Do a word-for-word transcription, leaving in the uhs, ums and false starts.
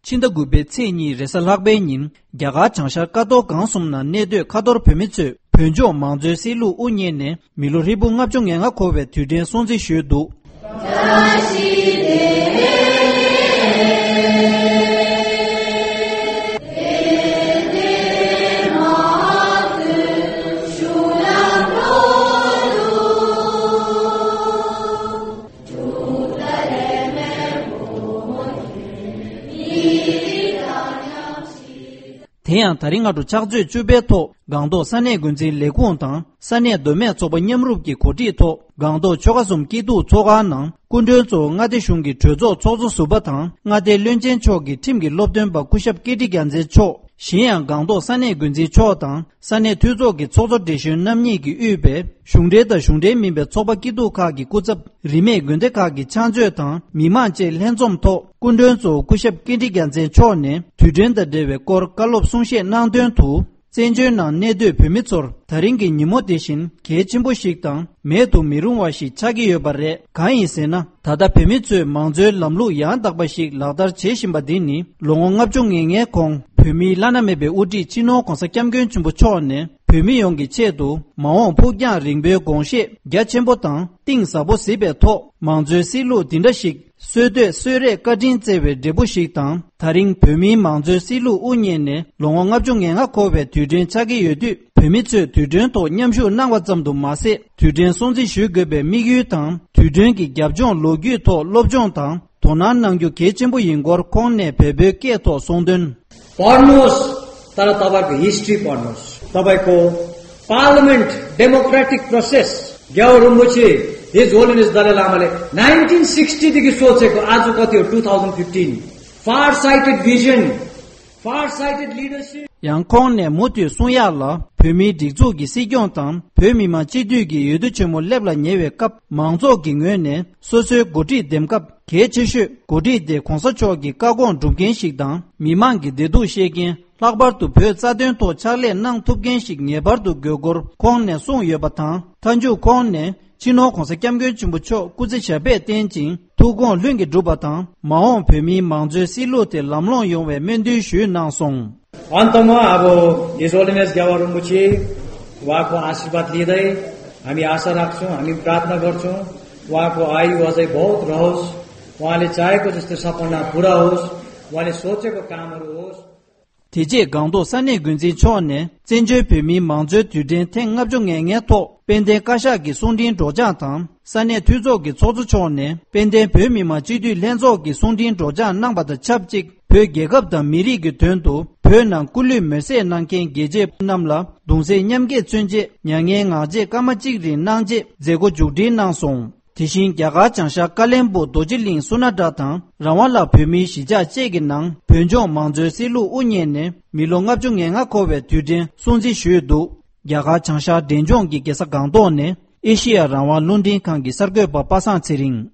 ཕྱི་ཟླ་དགུ་པའི་ཚེས་གཉིས་རེས་གཟའ་ལྷག་པའི་ཉིན། རྒྱ་གར་བྱང་ཤར་ཀ་ཐོག་སྒང་གསུམ་ན་གནས་སྡོད་ཁ་ཐོར་བོད་མི་ཚོས་བོད་ལྗོངས་མང་གཙོའི་སྲིད་ལུགས་དབུ་བརྙེས་ནས་མི་ལོ་ཧྲིལ་པོ་ལྔ་བཅུ་ང་ལྔ་འཁོར་བའི་དུས་དྲན་སྲུང་བརྩི་ཞུས་འདུག། དེ་ཡང་ད་རིང་སྔ་དྲོ་ཕྱག་ཚོད་བཅུ་པའི་ཐོག་སྒང་ཏོག་ས་གནས་འགོ་འཛིན་ལས་ཁུངས་དང་ས་གནས་མདོ་སྨད་ཚོགས་པ་མཉམ་རུབ་ཀྱི་གོ་སྒྲིག་ཐོག་སྒང་ཏོག་ཆོལ་ཁ་གསུམ་སྐྱིད་སྡུག་ཚོགས་ཁང་ནང་སྐུ་མགྲོན་གཙོ་བོ་མངའ་སྡེ་གཞུང་གི་གྲོས་ཚོགས་ཚོགས་གཙོ་ཟུར་པ་དང་མངའ་སྡེའི་བློན་ཆེན་མཆོག་གི་ཁྲིམས་ཀྱི་སློབ་སྟོན་པ་སྐུ་ཞབས་ཀིརྟི་རྒྱལ་མཚན་མཆོག་གཞན་ཡང་སྒང་ཏོག་ས་གནས་འགོ་འཛིན་མཆོག་དང་ས་གནས་འཐུས་ཚོགས་ཀྱི་ཚོགས་གཙོ་བགྲེས་གཞོན་རྣམ་གཉིས་ཀྱིས་དབུས་པའི་གཞུང་འབྲེལ་དང་གཞུང་འབྲེལ་མིན་པའི་ཚོགས་པ་སྐྱིད་སྡུག་ཁག་གི་སྐུ་ཚབ། རིས་མེད་དགོན་སྡེ་ཁག་གི་ཕྱག་མཛོད་དང་མི་མང་བཅས་ལྷན་འཛོམས་ཐོག་སྐུ་མགྲོན་གཙོ་བོ་སྐུ་ཞབས་ཀིརྟི་རྒྱལ་མཚན་མཆོག་ནས་དུས་དྲན་དང་འབྲེལ་བའི་སྐོར་བཀའ་སློབ་གསུང་བཤད་གནང་དོན་དུ། བཙན་བྱོལ་ནང་གནས་སྡོད་བོད་མི་ཚོར་ད་རིང་གི་ཉིན་མོ་དེ་བཞིན་གལ་ཆེན་པོ་ཞིག་དང་མེད་དུ་མི་རུང་བ་ཞིག་ཆགས་ཀྱི་ཡོད་པ་རེད། གང་ཡིན་ཟེར་ན། ད་ལྟ་བོད་མི་ཚོས་མང་གཙོའི་ལམ་ལུགས་ཡང་དག་པ་ཞིག་ལག་བསྟར་བྱེད་བཞིན་པ་འདི་ནི་ལོ་ངོ་ལྔ་བཅུ་ང་ལྔའི་གོང་བོད་མིའི་བླ་ན་མེད་པའི་དབུ་ཁྲིད་སྤྱི་ནོར་༧གོང་ས་༧སྐྱབས་མགོན་ཆེན་པོ་མཆོག་ནས། བོད་མི་ཡོངས་ཀྱི་ཆེད་དུ་མ་འོངས་ཕུགས་རྒྱང་རིང་པོའི་དགོངས་བཞེས་རྒྱ་ཆེན་པོ་དང་གཏིང་ཟབ་པོ་གཟིགས་པའི་ཐོག་མང་གཙོའི་སྲིད་ལུགས་འདི་འདྲ་ཞིག་སྲོལ་གཏོད་གསོལ་རས་བཀའ་དྲིན་བསྩལ་བའི་འབྲས་བུ་ཞིག་དང་། ད་རིང་བོད་མིའི་མང་གཙོའི་སྲིད་ལུགས་དབུ་བརྙེས་ནས་ལོ་ངོ་ལྔ་བཅུ་ང་ལྔ་འཁོར་བའི་དུས་དྲན་ཆགས་ཀྱི་ཡོད་དུས། བོད་མི་ཚོས་དུས་དྲན་ཐོག་མཉམ་ཞུགས་གནང་བ་ཙམ་དུ་མ་ཟད། དུས་དྲན་སྲུང་བརྩི་ཞུ་དགོས་པའི་དམིགས་ཡུལ་དང་། དུས་དྲན་གྱི་རྒྱབ་ལྗོངས་ལོ་རྒྱུས་ཐོག་སློབ་སྦྱོང་དང་དོ་སྣང་གནང་རྒྱུ་གལ་ཆེན་པོ་ཡིན་སྐོར་ཁོང་ནས་བོད་པའི་སྐད་ཐོག་གསུངས་དོན། पढ्नुहोस्, तर तपाईँको हिस्ट्री पढ्नुहोस्। तपाईँको पार्लियामेन्ट, डेमोक्रेटिक प्रोसेस, ग्याओ रिम्पोछे, हिज होलिनेस दलाई लामाले नाइन्टिन सिक्सटीदेखि सोचेको, आज कति हो, टु थाउजन्ड फिफ्टिन। फार साइटेड भिजन, फार साइटेड लिडरसिप। ཡང་ཁོང་ནས་མུ་མཐུད་གསུང་ཡག་ལ། བོད་མིའི་སྒྲིག་འཛུགས་ཀྱི་སྲིད་སྐྱོང་དང་བོད་མི་མང་སྤྱི་འཐུས་ཀྱི་འོས་བསྡུ་ཆེན་མོ་སླེབས་ལ་ཉེ་བའི་སྐབས། མང་ཚོགས་ཀྱི་ངོས་ནས་སོ་སོའི་འགོ་ཁྲིད་འདེམས་སྐབས། གལ་ཆེ་ཤོས་འགོ་ཁྲིད་དེ་གོང་ས་མཆོག་གི་བཀའ་དགོངས་སྒྲུབ་མཁན་ཞིག་དང་། མི་མང་གི་བདེ་སྡུག་ཤེས་མཁན། ལྷག་པར་དུ་བོད་རྩ་དོན་ཐོག་ཕྱག་ལས་གནང་ཐུབ་མཁན་ཞིག་ངེས་པར་དུ་དགོས་སྐོར་ཁོང་ནས་གསུངས་ཡོད་པ་དང་། མཐའ་མཇུག་ཁོང་ནས་སྤྱི་ནོར་༧གོང་ས་༧སྐྱབས་མགོན་ཆེན་པོ་མཆོག་སྐུ་ཚེ་ཞབས་པད་བརྟན་ཅིང་ཐུགས་དགོངས་ལྷུན་གྱིས་འགྲུབ་པ་དང་། མ་འོངས་བོད་མིའི་མང་གཙོའི་སྲིད་ལུགས་དེ་ལམ་ལྷོང་ཡོང་བའི་སྨོན་འདུན་ཞུས་གནང་སོང་། अन्तमा अब हिज होलिनेस ग्यावा रिम्पोछे उहाँको आशीर्वाद लिँदै हामी आशा राख्छौँ, हामी प्रार्थना गर्छौँ, उहाँको आयु अझै बहुत रहोस्, उहाँले चाहेको जस्तो सपना पुरा होस्, उहाँले सोचेको कामहरू होस्। དེ་རྗེས་སྒང་ཏོག་ས་གནས་འགོ་འཛིན་མཆོག་ནས་བཙན་བྱོལ་བོད་མིའི་མང་གཙོའི་དུས་དྲན་ཐེངས་ལྔ་བཅུ་ང་ལྔའི་ཐོག་དཔལ་ལྡན་བཀའ་ཤག་གི་གསུང་འཕྲིན་སྒྲོག་སྦྱང་དང་། ས་གནས་འཐུས་ཚོགས་ཀྱི་ཚོགས་གཙོ་མཆོག་ནས་དཔལ་ལྡན་བོད་མི་མང་སྤྱི་འཐུས་ལྷན་ཚོགས་ཀྱི་གསུང་འཕྲིན་སྒྲོག་སྦྱང་གནང་བ་དང་ཆབས་ཅིག་བོད་རྒྱལ་ཁབ་དང་མི་རིགས་ཀྱི་དོན་དུ་བོད་ནང་སྐུ་ལུས་མེར་སྲེག་གནང་མཁན་རྒྱལ་གཅེས་རྣམས་ལ་གདུང་སེམས་མཉམ་སྐྱེད་མཚོན་ཆེད་མྱ་ངན་ངག་བཅད་སྐར་མ་གཅིག་རིང་གནང་རྗེས་མཛད་སྒོ་མཇུག་སྒྲིལ་གནང་སོང་། དེ་བཞིན་རྒྱ་གར་བྱང་ཤར་ཀ་ལན་སྦུག་རྡོ་རྗེ་གླིང་སུ་ན་ཏྲ་དང་རང་དབང་ལ་བོད་མིའི་གཞིས་ཆགས་བཅས་ཀྱི་ནང་བོད་ལྗོངས་མང་གཙོའི་སྲིད་ལུགས་དབུ་བརྙེས་ནས་མི་ལོ་ལྔ་བཅུ་ང་ལྔ་འཁོར་བའི་དུས་དྲན་སྲུང་བརྩི་ཞུས་འདུག། རྒྱ་གར་བྱང་ཤར་འབྲས་ལྗོངས་ཀྱི་རྒྱལ་ས་སྒང་ཏོག་ནས་ཨེ་ཤེ་ཡ་རང་དབང་རླུང་འཕྲིན་ཁང་གི་གསར་འགོད་པ་པ་སངས་ཚེ་རིང་།